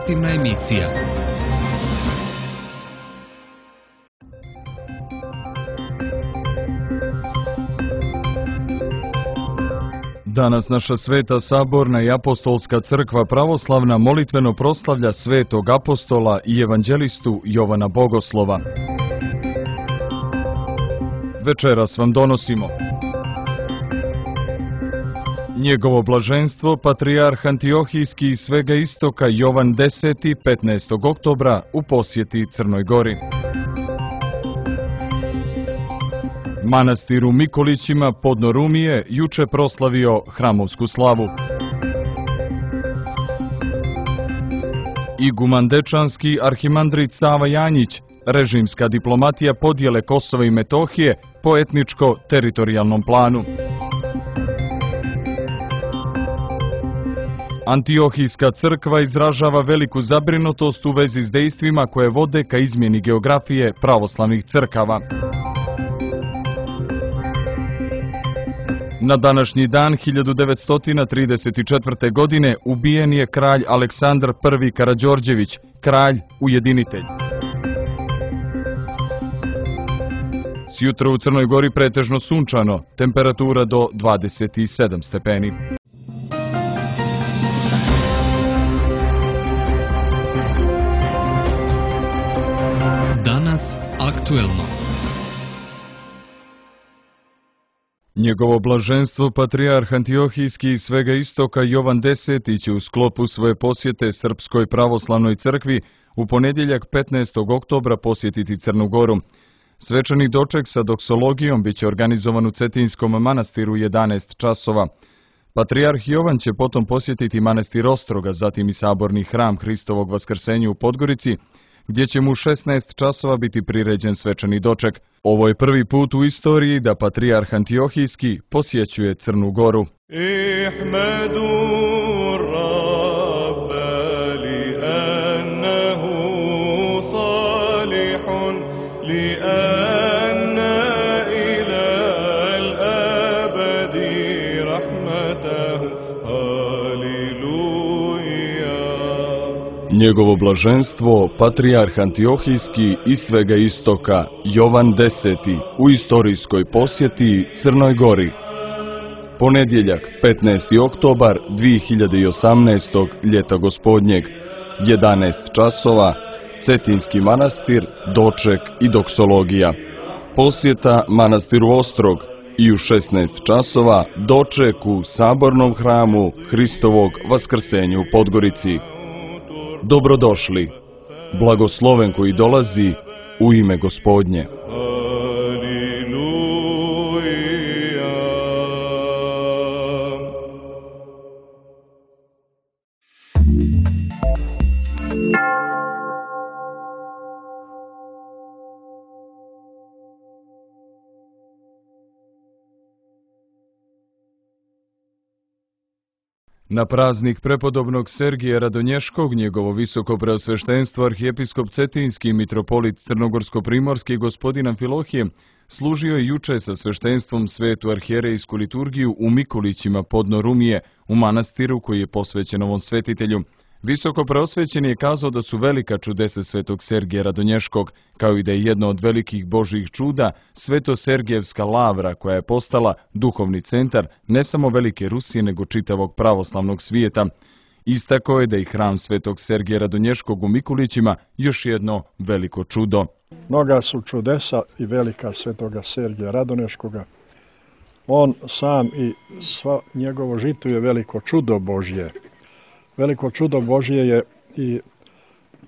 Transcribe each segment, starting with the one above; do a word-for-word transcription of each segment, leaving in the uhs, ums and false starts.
informativna emisija. Danas naša Sveta Saborna i Apostolska crkva pravoslavna molitveno proslavlja svetog apostola i evanđelistu Jovana Bogoslova. Večeras vam donosimo njegovo blaženstvo, patrijarh Antiohijski iz svega istoka Jovan Deseti, petnaestog oktobra u posjeti Crnoj Gori. Manastir u Mikolićima podno Rumije juče proslavio hramovsku slavu. Iguman Dečanski, arhimandrit Sava Janjić, režimska diplomatija podjele Kosova i Metohije po etničko-teritorijalnom planu. Antiohijska crkva izražava veliku zabrinutost u vezi s dejstvima koje vode ka izmjeni geografije pravoslavnih crkava. Na današnji dan hiljadu devetsto trideset četvrte. godine ubijen je kralj Aleksandar Prvi Karađorđević, kralj ujedinitelj. Sjutra u Crnoj Gori pretežno sunčano, temperatura do dvadeset sedam stepeni. Danas aktuelno. Njegovo blaženstvo patrijarh Antiohijski iz svega istoka Jovan Deseti će u sklopu svoje posjete Srpskoj pravoslavnoj crkvi u ponedjeljak petnaestog oktobra posjetiti Crnu Goru. Svečani doček sa doksologijom biće organizovan u Cetinskom manastiru u jedanaest časova. Patrijarh Jovan će potom posjetiti manastir Ostroga, zatim i saborni hram Hristovog vaskrsenja u Podgorici, gdje će mu u šesnaest časova biti priređen svečani doček. Ovo je prvi put u istoriji da patrijarh Antiohijski posjećuje Crnu Goru. Njegovo blaženstvo, patrijarh Antiohijski iz svega istoka Jovan Deseti u istorijskoj posjeti Crnoj Gori. Ponedjeljak, petnaesti oktobar dvije hiljade osamnaestog. ljeta gospodnjeg, jedanaest časova, Cetinski manastir, doček i doksologija. Posjeta manastiru Ostrog i u šesnaest časova doček u sabornom hramu Hristovog vaskrsenja u Podgorici. Dobrodošli, blagosloven koji dolazi u ime Gospodnje. Na praznik prepodobnog Sergija Radonješkog, njegovo visoko preosveštenstvo arhijepiskop Cetinski i mitropolit Crnogorsko-primorski gospodin Amfilohije služio je juče sa sveštenstvom svetu arhijerejsku liturgiju u Mikolićima podno Rumije, u manastiru koji je posvećen ovom svetitelju. Visoko preosvećen je kazao da su velika čudesa svetog Sergija Radonješkog, kao i da je jedno od velikih božjih čuda Sveto-Sergijevska lavra koja je postala duhovni centar ne samo velike Rusije nego čitavog pravoslavnog svijeta. Istakao je da je hram svetog Sergija Radonješkog u Mikolićima još jedno veliko čudo. Mnoga su čudesa i velika svetoga Sergija Radonješkoga. On sam i svo njegovo žito je veliko čudo Božje. Veliko čudo Božje je i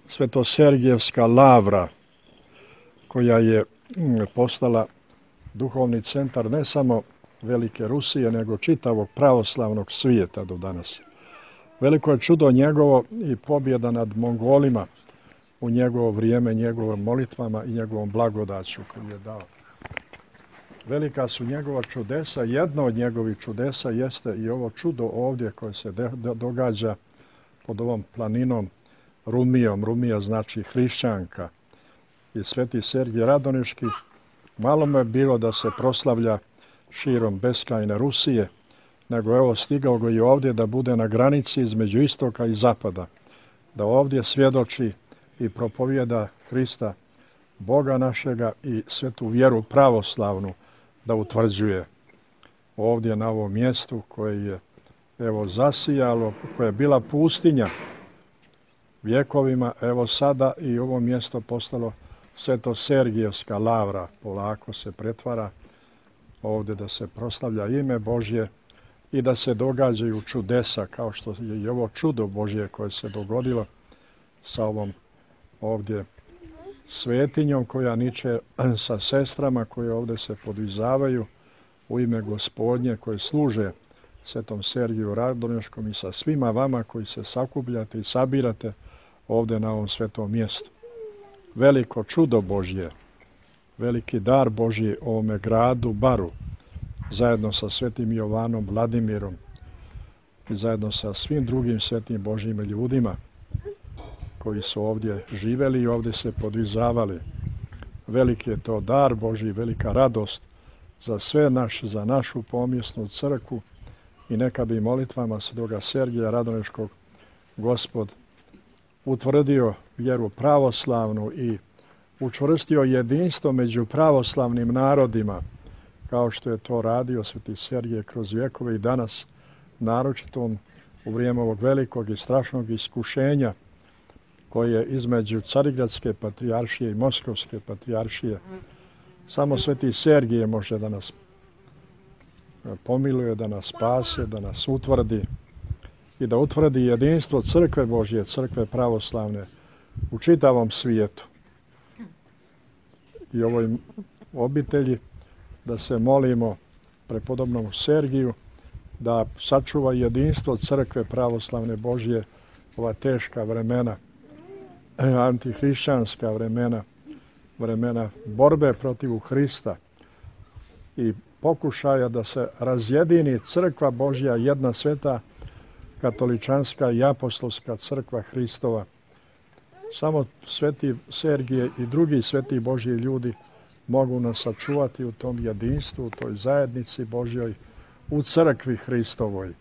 Sveto-Sergijevska lavra, koja je postala duhovni centar ne samo velike Rusije, nego čitavog pravoslavnog svijeta do danas. Veliko je čudo njegovo i pobjeda nad Mongolima u njegovo vrijeme, njegovim molitvama i njegovom blagodaću koju je dao. Velika su njegova čudesa. Jedno od njegovih čudesa jeste i ovo čudo ovdje koje se događa pod ovom planinom Rumijom. Rumija znači hrišćanka. I sveti Sergij Radonješki, malo mu je bilo da se proslavlja širom beskrajne Rusije, nego evo stigao ga i ovdje da bude na granici između istoka i zapada. da ovdje svjedoči i propovijeda Hrista, Boga našega, i svetu vjeru pravoslavnu da utvrđuje ovdje na ovom mjestu koje je evo zasijalo, koje je bila pustinja vjekovima, evo sada i ovo mjesto postalo Sveto-Sergijevska lavra, polako se pretvara ovdje da se proslavlja ime Božje i da se događaju čudesa, kao što je i ovo čudo Božje koje se dogodilo sa ovom ovdje svetinjom koja niče sa sestrama koje ovdje se podvizavaju u ime Gospodnje, koje služe Svetom Sergiju Radonješkom, i sa svima vama koji se sakupljate i sabirate ovdje na ovom svetom mjestu. Veliko čudo Božje, veliki dar Božji ovome gradu Baru, zajedno sa svetim Jovanom Vladimirom i zajedno sa svim drugim svetim Božjim ljudima koji su ovdje živeli i ovdje se podvizavali. Veliki je to dar Božji, velika radost za sve naš, za našu pomjesnu crkvu, i neka bi molitvama svetoga Sergija Radoneškog Gospod utvrdio vjeru pravoslavnu i učvrstio jedinstvo među pravoslavnim narodima, kao što je to radio sveti Sergije kroz vjekove i danas, naročito u vrijeme ovog velikog i strašnog iskušenja koje je između Carigradske patrijaršije i Moskovske patrijaršije. Samo sveti Sergije može da nas pomiluje, da nas spase, da nas utvrdi i da utvrdi jedinstvo crkve Božje, crkve pravoslavne u čitavom svijetu. I ovoj obitelji da se molimo prepodobnom Sergiju da sačuva jedinstvo crkve pravoslavne Božje, ova teška vremena, antihrišćanska vremena, vremena borbe protiv Hrista i pokušaja da se razjedini crkva Božja, jedna sveta katoličanska i apostolska crkva Hristova. Samo sveti Sergije i drugi sveti Božji ljudi mogu nas sačuvati u tom jedinstvu, u toj zajednici Božjoj, u crkvi Hristovoj.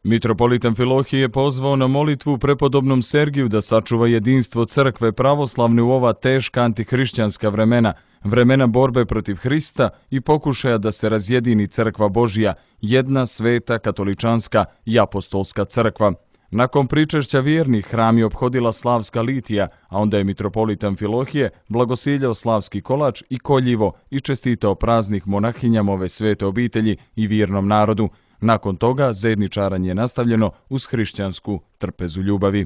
Mitropolit Amfilohije je pozvao na molitvu prepodobnom Sergiju da sačuva jedinstvo crkve pravoslavne u ova teška antihrišćanska vremena, vremena borbe protiv Hrista i pokušaja da se razjedini crkva Božja, jedna sveta katoličanska i apostolska crkva. Nakon pričešća vjernih hram je ophodila slavska litija, a onda je mitropolit Amfilohije blagosiljao slavski kolač i koljivo i čestitao praznih monahinjama ove svete obitelji i vjernom narodu. Nakon toga zajedničaranje je nastavljeno uz hrišćansku trpezu ljubavi.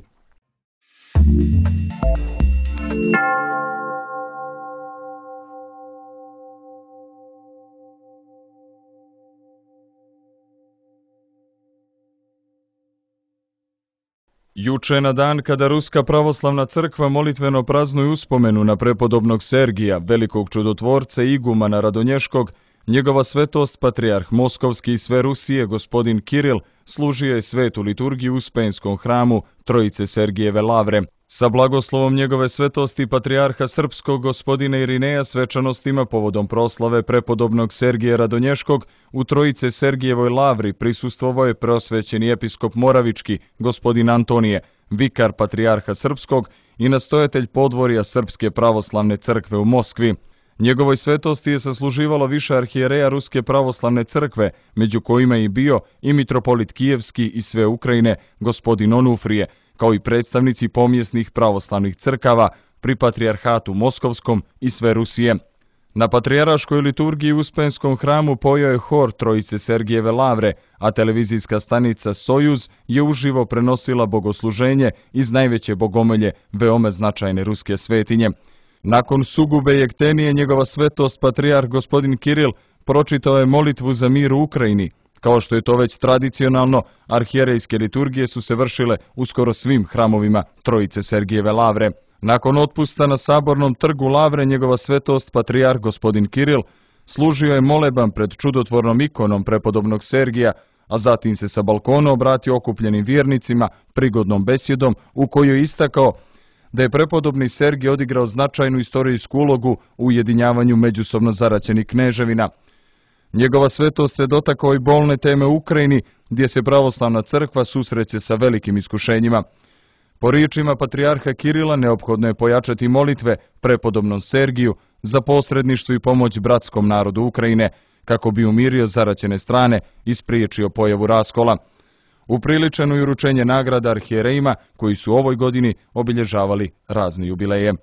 Juče na dan kada Ruska pravoslavna crkva molitveno praznuje uspomenu na prepodobnog Sergija, velikog čudotvorca i igumana Radonješkog, njegova svetost patrijarh Moskovski i sve Rusije, gospodin Kiril, služio je svetu liturgiju u Uspenskom hramu Trojice Sergijeve lavre. Sa blagoslovom njegove svetosti patrijarha srpskog gospodina Irineja svečanostima povodom proslave prepodobnog Sergija Radonješkog u Trojice Sergijevoj lavri prisustvovao je preosvećeni episkop Moravički, gospodin Antonije, vikar patrijarha srpskog i nastojatelj podvorja Srpske pravoslavne crkve u Moskvi. Njegovoj svetosti je sasluživalo više arhijereja Ruske pravoslavne crkve, među kojima je i bio i mitropolit Kijevski i sve Ukrajine, gospodin Onufrije, kao i predstavnici pomjesnih pravoslavnih crkava pri patrijarhatu Moskovskom i sve Rusije. Na patrijaraškoj liturgiji u Uspenskom hramu pojao je hor Trojice Sergijeve lavre, a televizijska stanica Sojuz je uživo prenosila bogosluženje iz najveće bogomolje veoma značajne ruske svetinje. Nakon sugube jektenije njegova svetost patrijarh gospodin Kiril pročitao je molitvu za mir u Ukrajini. Kao što je to već tradicionalno, arhijerejske liturgije su se vršile u skoro svim hramovima Trojice Sergijeve lavre. Nakon otpusta na Sabornom trgu lavre njegova svetost patrijarh gospodin Kiril služio je moleban pred čudotvornom ikonom prepodobnog Sergija, a zatim se sa balkona obratio okupljenim vjernicima prigodnom besjedom u kojoj je istakao da je prepodobni Sergij odigrao značajnu istorijsku ulogu u ujedinjavanju međusobno zaraćenih kneževina. Njegova svetost se dotakao i bolne teme u Ukrajini, gdje se pravoslavna crkva susreće sa velikim iskušenjima. Po riječima patrijarha Kirila neophodno je pojačati molitve prepodobnom Sergiju za posredništvo i pomoć bratskom narodu Ukrajine, kako bi umirio zaraćene strane i spriječio pojavu raskola. Upriličeno i uručenje nagrada arhijerejima koji su u ovoj godini obilježavali razne jubileje.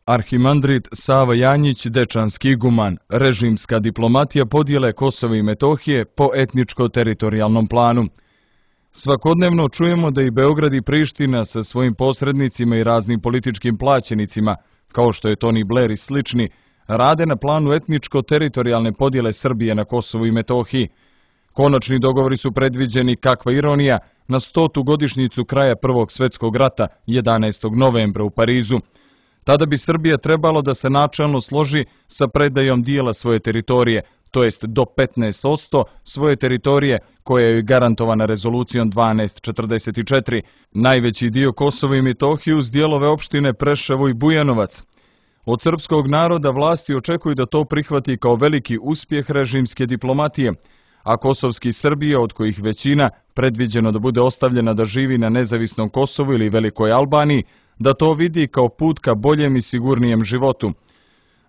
Arhimandrit Sava Janjić, dečanski iguman, režimska diplomatija podjele Kosova i Metohije po etničko-teritorijalnom planu. Svakodnevno čujemo da i Beograd i Priština sa svojim posrednicima i raznim političkim plaćenicima, kao što je Tony Blair i slični, rade na planu etničko-teritorijalne podjele Srbije na Kosovu i Metohiji. Konačni dogovori su predviđeni, kakva ironija, na stotu godišnjicu kraja Prvog svjetskog rata, jedanaestog novembra u Parizu. Tada bi Srbija trebalo da se načelno složi sa predajom dijela svoje teritorije, to jest do petnaest posto svoje teritorije koja je garantovana rezolucijom dvanaest četrdeset četiri, najveći dio Kosova i Metohije uz dijelove opštine Preševo i Bujanovac. Od srpskog naroda vlasti očekuju da to prihvati kao veliki uspjeh režimske diplomatije, a kosovski Srbije, od kojih većina predviđeno da bude ostavljena da živi na nezavisnom Kosovu ili Velikoj Albaniji, da to vidi kao put ka boljem i sigurnijem životu.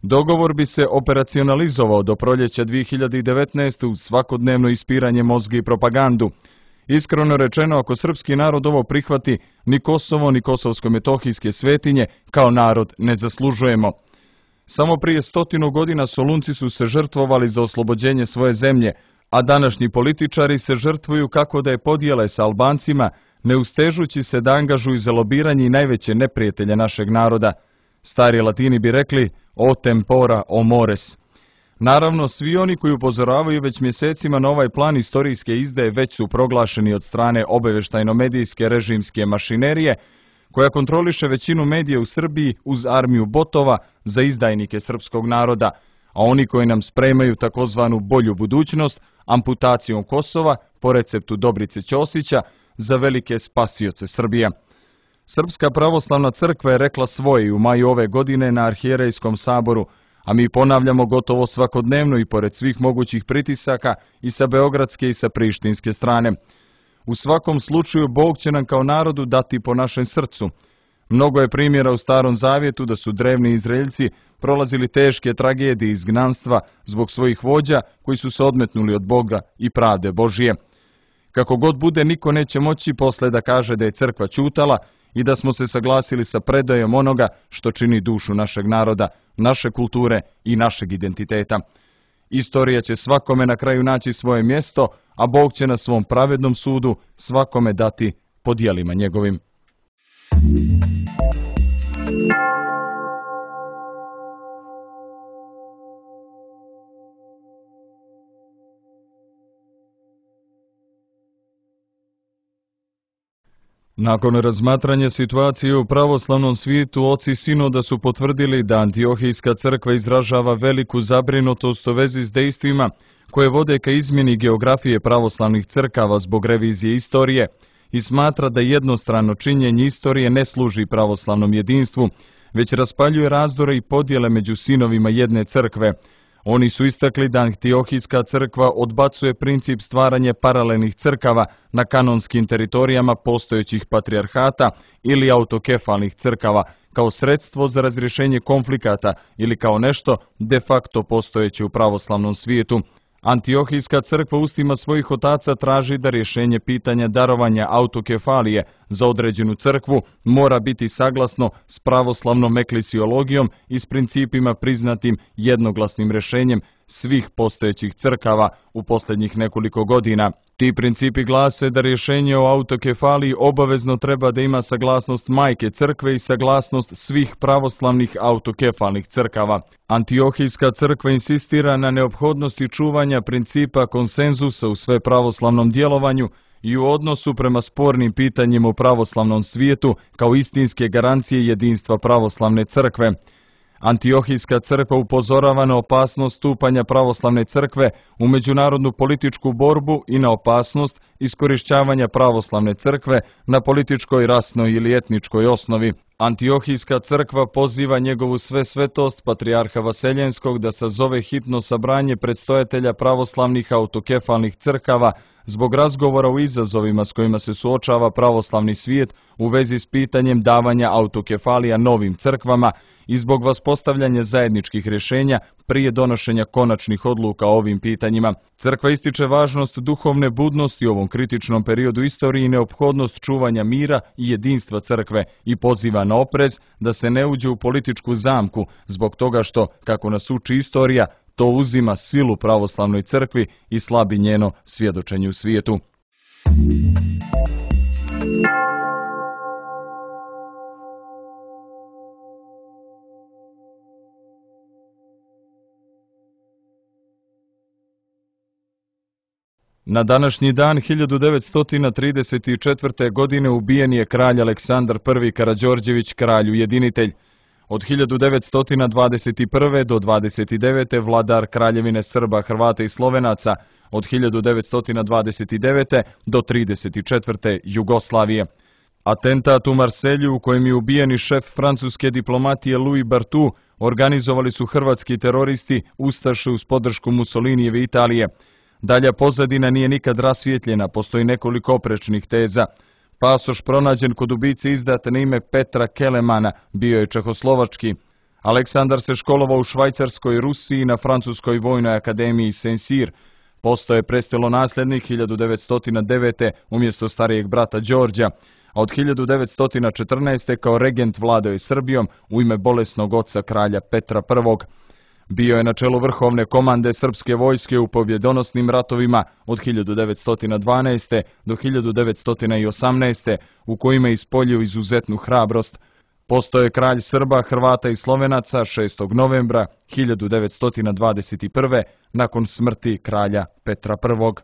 Dogovor bi se operacionalizovao do proljeća dvije hiljade devetnaeste. uz svakodnevno ispiranje mozga i propagandu. Iskreno rečeno, ako srpski narod ovo prihvati, ni Kosovo ni kosovsko-metohijske svetinje kao narod ne zaslužujemo. Samo prije stotinu godina Solunci su se žrtvovali za oslobođenje svoje zemlje, a današnji političari se žrtvuju kako da je podijele sa Albancima, ne ustežući se da angažuju za lobiranje i najveće neprijatelje našeg naroda. Stari Latini bi rekli o tempora o mores. Naravno, svi oni koji upozoravaju već mjesecima na ovaj plan istorijske izdaje već su proglašeni od strane obavještajno-medijske režimske mašinerije, koja kontroliše većinu medija u Srbiji uz armiju botova za izdajnike srpskog naroda, a oni koji nam spremaju takozvanu bolju budućnost, amputacijom Kosova, po receptu Dobrice Ćosića, za velike spasioce Srbije. Srpska pravoslavna crkva je rekla svoje u maju ove godine na arhijerejskom saboru, a mi ponavljamo gotovo svakodnevno i pored svih mogućih pritisaka i sa beogradske i sa prištinske strane. U svakom slučaju Bog će nam kao narodu dati po našem srcu. Mnogo je primjera u Starom Zavjetu da su drevni Izraeljci prolazili teške tragedije izgnanstva zbog svojih vođa koji su se odmetnuli od Boga i pravde Božije. Kako god bude, niko neće moći posle da kaže da je crkva ćutala i da smo se saglasili sa predajom onoga što čini dušu našeg naroda, naše kulture i našeg identiteta. Istorija će svakome na kraju naći svoje mjesto, a Bog će na svom pravednom sudu svakome dati po djelima njegovim. Nakon razmatranja situacije u pravoslavnom svijetu, oci sinoda su potvrdili da Antiohijska crkva izražava veliku zabrinutost u vezi s dejstvima koje vode ka izmjeni geografije pravoslavnih crkava zbog revizije istorije i smatra da jednostrano činjenje istorije ne služi pravoslavnom jedinstvu, već raspaljuje razdore i podjele među sinovima jedne crkve. Oni su istakli da Antiohijska crkva odbacuje princip stvaranja paralelnih crkava na kanonskim teritorijama postojećih patrijarhata ili autokefalnih crkava kao sredstvo za razrješenje konflikata ili kao nešto de facto postojeće u pravoslavnom svijetu. Antiohijska crkva ustima svojih otaca traži da rješenje pitanja darovanja autokefalije za određenu crkvu mora biti saglasno s pravoslavnom eklesiologijom i s principima priznatim jednoglasnim rješenjem svih postojećih crkava u posljednjih nekoliko godina. Ti principi glase da rješenje o autokefaliji obavezno treba da ima saglasnost majke crkve i saglasnost svih pravoslavnih autokefalnih crkava. Antiohijska crkva insistira na neophodnosti čuvanja principa konsenzusa u sve pravoslavnom djelovanju i u odnosu prema spornim pitanjima u pravoslavnom svijetu kao istinske garancije jedinstva pravoslavne crkve. Antiohijska crkva upozorava na opasnost stupanja pravoslavne crkve u međunarodnu političku borbu i na opasnost iskorišćavanja pravoslavne crkve na političkoj, rasnoj ili etničkoj osnovi. Antiohijska crkva poziva njegovu svesvetost, patrijarha Vaseljenskog, da sazove hitno sabranje predstojatelja pravoslavnih autokefalnih crkava zbog razgovora o izazovima s kojima se suočava pravoslavni svijet u vezi s pitanjem davanja autokefalija novim crkvama i zbog vaspostavljanja zajedničkih rješenja prije donošenja konačnih odluka o ovim pitanjima. Crkva ističe važnost duhovne budnosti u ovom kritičnom periodu istoriji i neophodnost čuvanja mira i jedinstva crkve i poziva na oprez da se ne uđe u političku zamku zbog toga što, kako nas uči istorija, to uzima silu pravoslavnoj crkvi i slabi njeno svjedočenje u svijetu. Na današnji dan hiljadu devetsto trideset četvrte. godine ubijen je kralj Aleksandar prvi Karađorđević, kralj ujedinitelj. Od hiljadu devetsto dvadeset prve. do dvadeset devete. vladar Kraljevine Srba, Hrvata i Slovenaca, od hiljadu devetsto dvadeset devete. do trideset četvrte. Jugoslavije. Atentat u Marselju u kojem je ubijeni šef francuske diplomatije Louis Barthou organizovali su hrvatski teroristi, ustaše uz podršku Mussolinijeve Italije. Dalja pozadina nije nikad rasvjetljena, postoji nekoliko oprečnih teza. Pasoš pronađen kod ubice izdat na ime Petra Kelemana bio je čehoslovački. Aleksandar se školovao u Švajcarskoj, Rusiji i na Francuskoj vojnoj akademiji Saint-Cyr. Postao je prestolonaslednik hiljadu devetsto devete. umjesto starijeg brata Đorđa, a od hiljadu devetsto četrnaeste. kao regent vladao je Srbijom u ime bolesnog oca kralja Petra prvog. Bio je na čelu vrhovne komande srpske vojske u pobjedonosnim ratovima od hiljadu devetsto dvanaeste. do hiljadu devetsto osamnaeste. u kojima je ispoljio izuzetnu hrabrost. Postao je kralj Srba, Hrvata i Slovenaca šestog novembra hiljadu devetsto dvadeset prve. nakon smrti kralja Petra prvog.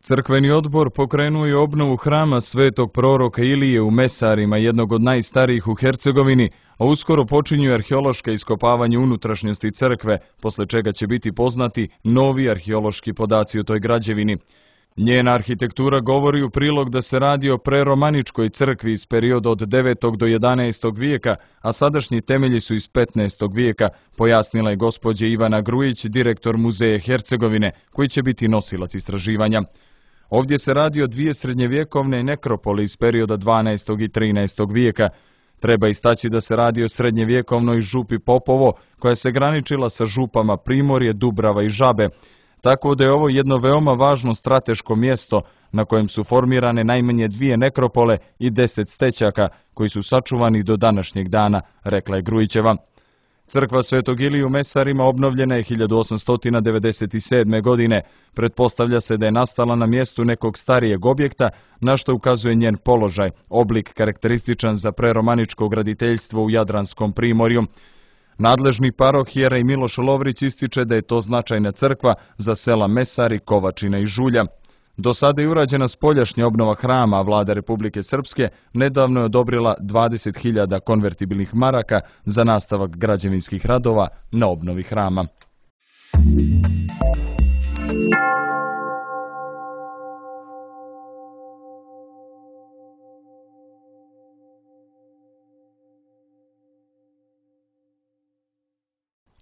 Crkveni odbor pokrenuo je obnovu hrama svetog proroka Ilije u Mesarima, jednog od najstarijih u Hercegovini, a uskoro počinju arheološka iskopavanja unutrašnjosti crkve, posle čega će biti poznati novi arheološki podaci o toj građevini. Njena arhitektura govori u prilog da se radi o preromaničkoj crkvi iz perioda od devetog do jedanaestog vijeka, a sadašnji temelji su iz petnaestog vijeka, pojasnila je gospođa Ivana Grujić, direktor Muzeja Hercegovine, koji će biti nosilac istraživanja. Ovdje se radi o dvije srednjevjekovne nekropole iz perioda dvanaestog i trinaestog vijeka. Treba istaći da se radi o srednjevjekovnoj župi Popovo, koja se graničila sa župama Primorje, Dubrava i Žabe, tako da je ovo jedno veoma važno strateško mjesto na kojem su formirane najmanje dvije nekropole i deset stećaka koji su sačuvani do današnjeg dana, rekla je Grujićeva. Crkva Svetog Ilije u Mesarima obnovljena je hiljadu osamsto devedeset sedme. godine. Pretpostavlja se da je nastala na mjestu nekog starijeg objekta, na što ukazuje njen položaj, oblik karakterističan za preromaničko graditeljstvo u Jadranskom primorju. Nadležni parohijera i Miloš Lovrić ističe da je to značajna crkva za sela Mesari, Kovačina i Žulja. Do sada je urađena spoljašnja obnova hrama, a vlada Republike Srpske nedavno je odobrila dvadeset hiljada konvertibilnih maraka za nastavak građevinskih radova na obnovi hrama.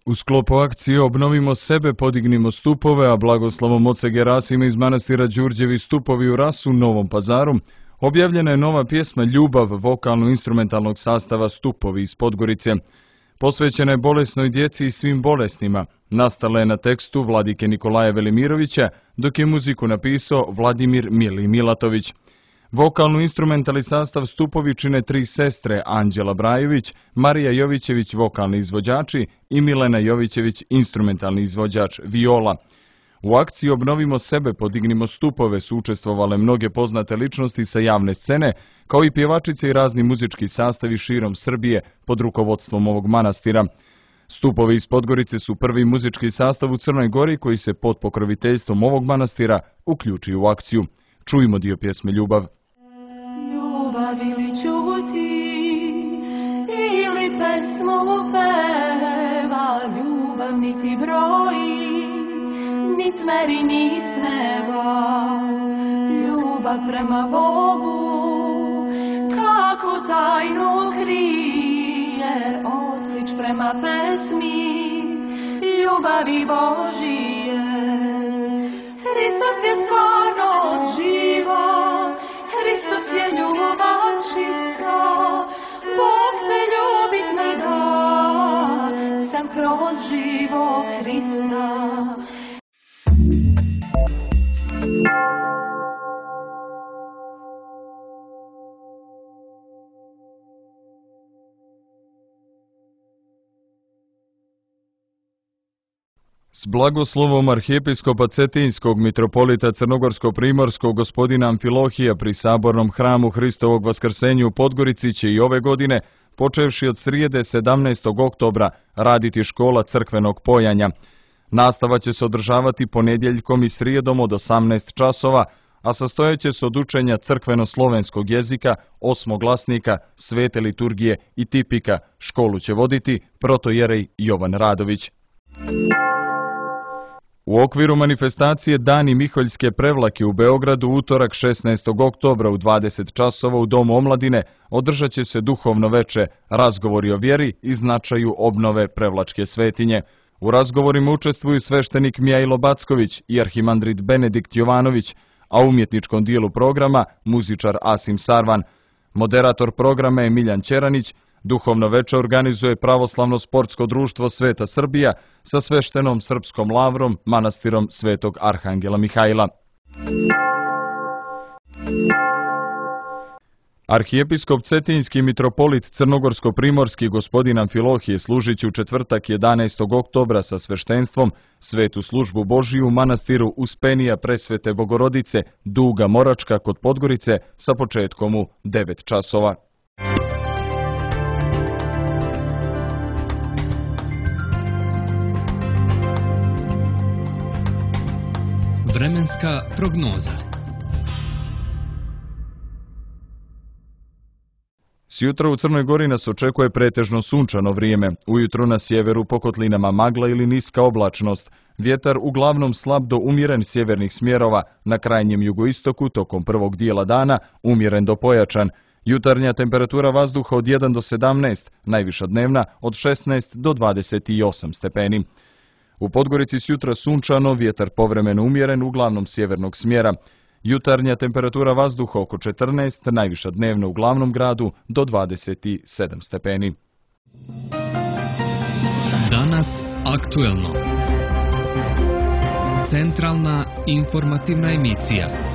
U sklopu akcije Obnovimo sebe, podignimo stupove, a blagoslovom oca Gerasima iz manastira Đurđevi stupovi u Rasu, Novom Pazaru, objavljena je nova pjesma Ljubav vokalno-instrumentalnog sastava Stupovi iz Podgorice. Posvećena je bolesnoj djeci i svim bolesnima. Nastala je na tekstu vladike Nikolaja Velimirovića, dok je muziku napisao Vladimir Mili Milatović. Vokalno-instrumentalni sastav Stupovi čine tri sestre, Anđela Brajović, Marija Jovićević, vokalni izvođači, i Milena Jovićević, instrumentalni izvođač viola. U akciji Obnovimo sebe, podignimo stupove su učestvovale mnoge poznate ličnosti sa javne scene, kao i pjevačice i razni muzički sastavi širom Srbije pod rukovodstvom ovog manastira. Stupovi iz Podgorice su prvi muzički sastav u Crnoj Gori koji se pod pokroviteljstvom ovog manastira uključi u akciju. Čujmo dio pjesme Ljubav. Ljubav ili čuti, ili pesmu peva, ljubav niti broji, nit meri ni sneva. Ljubav prema Bogu, kako tajnu krije, otklič prema pesmi, ljubavi Božije. Hristos je stvarnost živa, Hristos je ljubav čista, Bog se ljubit ne da, sam kroz živog Hrista. S blagoslovom arhijepiskopa Cetinskog mitropolita Crnogorsko-primorskog gospodina Amfilohija pri sabornom hramu Hristovog vaskrsenja u Podgorici će i ove godine, počevši od srijede sedamnaestog oktobra, raditi škola crkvenog pojanja. Nastava će se održavati ponedjeljkom i srijedom od osamnaest časova, a sastojeće se od učenja crkveno-slovenskog jezika, osmoglasnika, svete liturgije i tipika. Školu će voditi protojerej Jovan Radović. U okviru manifestacije Dani Miholjske prevlake u Beogradu utorak šesnaestog oktobra u dvadeset časova u Domu omladine održat će se duhovno veče, razgovori o vjeri i značaju obnove prevlačke svetinje. U razgovorima učestvuju sveštenik Mijajlo Backović i arhimandrit Benedikt Jovanović, a u umjetničkom dijelu programa muzičar Asim Sarvan. Moderator programa je Miljan Ćeranić. Duhovno veče organizuje Pravoslavno sportsko društvo Sveta Srbija sa sveštenom srpskom lavrom manastirom Svetog Arhangela Mihajla. Arhijepiskop Cetinski mitropolit Crnogorsko-primorski gospodin Amfilohije služit će u četvrtak jedanaestog oktobra sa sveštenstvom svetu službu Božiju u manastiru Uspenija Presvete Bogorodice Duga Moračka kod Podgorice sa početkom u devet časova. Vremenska prognoza. Sjutra u Crnoj Gori nas očekuje pretežno sunčano vrijeme. Ujutro na sjeveru po kotlinama magla ili niska oblačnost. Vjetar uglavnom slab do umjeren sjevernih smjerova, na krajnjem jugoistoku tokom prvog dijela dana umjeren do pojačan. Jutarnja temperatura vazduha od jedan do sedamnaest, najviša dnevna od šesnaest do dvadeset osam stepeni. U Podgorici sjutra sunčano, vjetar povremeno umjeren, uglavnom sjevernog smjera. Jutarnja temperatura vazduha oko četrnaest, najviša dnevna u glavnom gradu do dvadeset sedam stepeni. Danas aktuelno. Centralna informativna emisija.